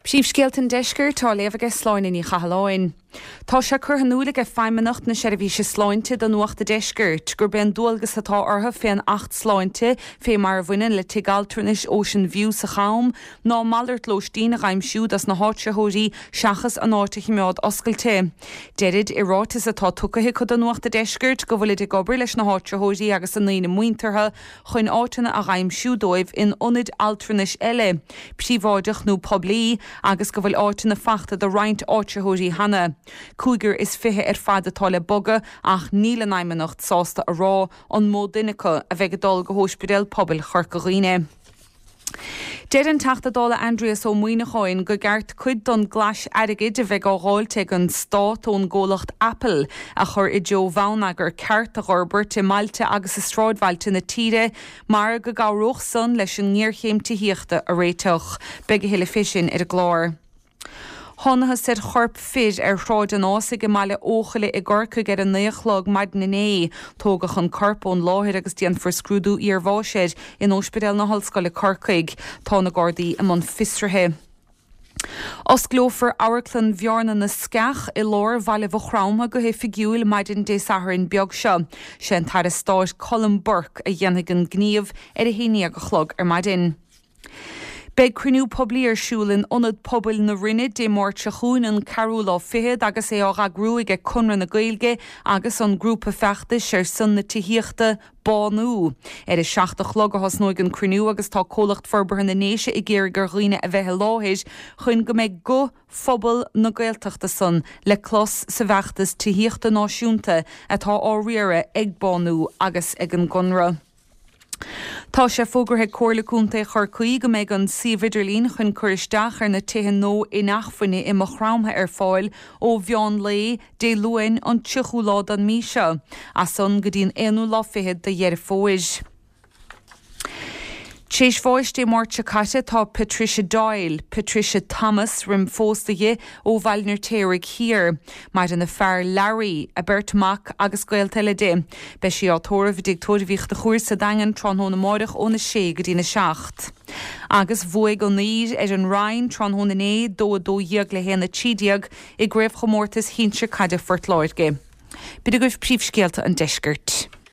Príomhscéalta an Deiscirt á léamh aige Sláine Ní Chathalláin. Tá sé curtha in iúil aige Feidhmeannacht na Seirbhíse Sláinte do Nuacht a' Deiscirt gurb é an dualgas atá orthu fén Acht Sláinte fé mar a bhaineann le Tigh Altranais Ocean View sa Cham ná malairt lóistín a dh'aimsiú dos na háitritheoirí seachas an áit a chimeád oscailte. Deirid i ráiteas atá tucaithe acu do Nuacht a' Deiscirt go bhfuilid ag obair leis na háitritheoirí agus a ndaoine muinteartha chun áiteanna a dh'aimsiú dóibh in ionaid altranais eile, príobháideach nó poiblí, agus go bhfuil áiteanna fachta do roinnt áitritheoirí cheana. 25 ar fad atá le bogadh ach níl an Fheidhmeannacht sásta a rá an mó duine acu a bheidh ag dul go hÓispidéal Pobail Chorca Dhuibhne. Deir an Teachta Dála Aindrias Ó Muimhneacháin go gceart cuid don gclais airgid a bheidh á dháilt ag an Stát ón gcomhlacht Apple a chur i dtreo bhonneagar ceart a dh'fhorbairt i mbailte agus i sráidbhailte na tíre mar go gcabhródh san leis an ngéarchéim tithíochta a réiteach. Beidh a thuilleadh fé sin ar an gclár. Thánathas ar chorp fir ar Shráid an Ásaigh i mBaile Eochaille i gCorcaigh ar a 9 a chlog maidin inné. Tógadh an corp ón láthair agus déanfar scrúdú iarbháis air in Óispidéal na hOllscoile Corcaigh. Tá na Gardaí i mbun fiosraithe. Osclófar Amharclann Bhearna na Sceach i lár bhaile Mhaigh Chromtha go hoifigiúil maidin Dé Sathairn beag seo. Sé an tAire Stáit Colm Burke a dhéanfaidh an gníomh ar a haon dhéag a chlog ar maidin. Beidh cruinniú poiblí ar siúl in Ionad Pobail na Rinne Dé Máirt seo chugainn, an ceathrú lá fichead, agus é á eagrú aige Conradh na Gaeilge agus an grúpa feachtais ar son na tithíochta, Bánú. Ar a 7 a chlog a thosnóidh an cruinniú agus tá Comhlacht Forbartha na nDéise ag iarraidh ar dhaoine a bheith i láthair chun go mbeidh guth phobal na Gaeltachta san le clos sa bhfeachtas tithíochta náisiúnta atá á riaradh ag Bánú agus ag an gConradh. Tá sé fógartha ag Comhairle Contae Chorcaí go mbeidh an suíomh idirlín chun cur isteach ar na tithe nua inacmhainne i Maigh Chromtha ar fáil ó mheán lae Dé Luain an 30ú lá den mí seo, as san go dtí an aonú lá fichead de Dheireadh Fómhair. Tar éis bháis Dé Máirt seo caite tá Patricia Doyle, Patricia Thomas roim phósadh di, ó Bhaile an Fheirtéaraigh Thiar. Maireann a fear Larry, a beirt mhac agus gaolta eile di. Beidh sí á tórramh i dTigh Tórraimh Uí Chonchúir sa Daingean tráthnóna amáireach óna sé go dtína seacht. Agus bhuaigh an Uidhir ar an Rinn tráthnóna inné, 2 12 le 1 13, i gCraobhchomórtas Shinsir Caide Phort Láirge. B'in agaibh príomhscéalta an deiscirt.